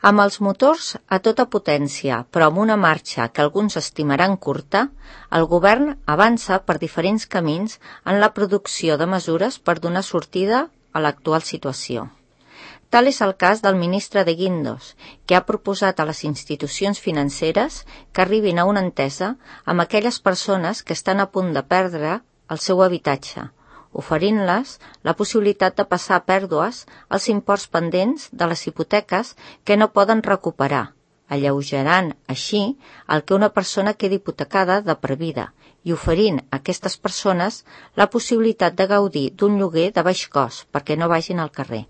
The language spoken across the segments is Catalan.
Amb els motors a tota potència, però amb una marxa que alguns estimaran curta, el govern avança per diferents camins en la producció de mesures per donar sortida a l'actual situació. Tal és el cas del ministre de Guindos, que ha proposat a les institucions financeres que arribin a una entesa amb aquelles persones que estan a punt de perdre el seu habitatge, oferint-les la possibilitat de passar a pèrdues els imports pendents de les hipoteques que no poden recuperar, alleugerant així el que una persona quedi hipotecada de per vida i oferint a aquestes persones la possibilitat de gaudir d'un lloguer de baix cost perquè no vagin al carrer.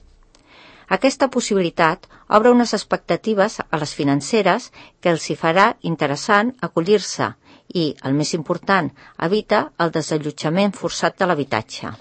Aquesta possibilitat obre unes expectatives a les financeres que els hi farà interessant acollir-se i, el més important, evita el desallotjament forçat de l'habitatge.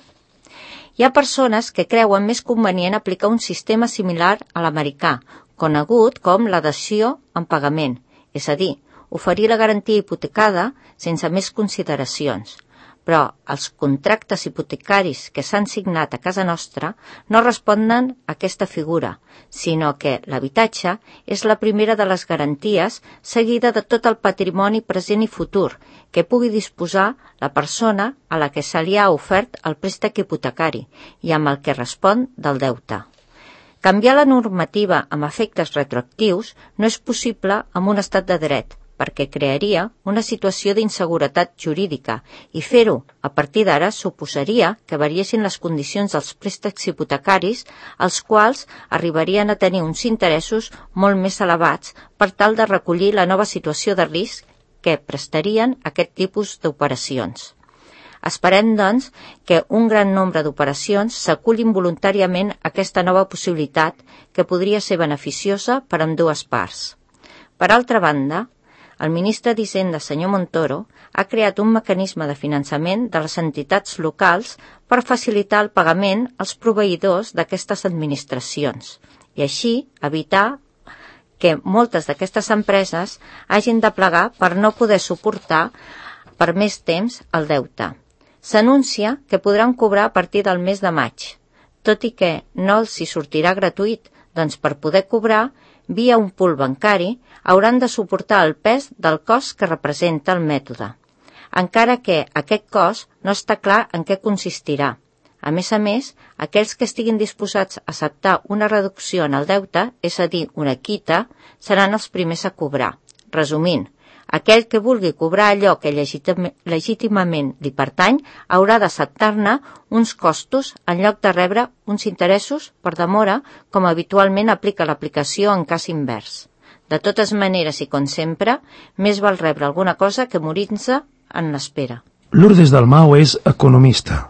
Hi ha persones que creuen més convenient aplicar un sistema similar a l'americà, conegut com la dació en pagament, és a dir, oferir la garantia hipotecada sense més consideracions. Però els contractes hipotecaris que s'han signat a casa nostra no responen a aquesta figura, sinó que l'habitatge és la primera de les garanties seguida de tot el patrimoni present i futur que pugui disposar la persona a la que se li ha ofert el préstec hipotecari i amb el que respon del deute. Canviar la normativa amb efectes retroactius no és possible amb un estat de dret, perquè crearia una situació d'inseguretat jurídica i fer-ho a partir d'ara suposaria que variessin les condicions dels préstecs hipotecaris, els quals arribarien a tenir uns interessos molt més elevats per tal de recollir la nova situació de risc que prestarien aquest tipus d'operacions. Esperem, doncs, que un gran nombre d'operacions s'acullin voluntàriament a aquesta nova possibilitat que podria ser beneficiosa per a ambdues parts. Per altra banda, el ministre d'Hisenda, senyor Montoro, ha creat un mecanisme de finançament de les entitats locals per facilitar el pagament als proveïdors d'aquestes administracions i així evitar que moltes d'aquestes empreses hagin de plegar per no poder suportar per més temps el deute. S'anuncia que podran cobrar a partir del mes de maig, tot i que no els hi sortirà gratuït, doncs per poder cobrar via un pool bancari, hauran de suportar el pes del cost que representa el mètode, encara que aquest cost no està clar en què consistirà. A més, aquells que estiguin disposats a acceptar una reducció en el deute, és a dir, una quita, seran els primers a cobrar. Resumint, aquell que vulgui cobrar allò que legítimament li pertany haurà d'acceptar-ne uns costos en lloc de rebre uns interessos per demora, com habitualment aplica l'aplicació en cas invers. De totes maneres i com sempre, més val rebre alguna cosa que morir-se en l'espera. Lourdes Dalmau és economista.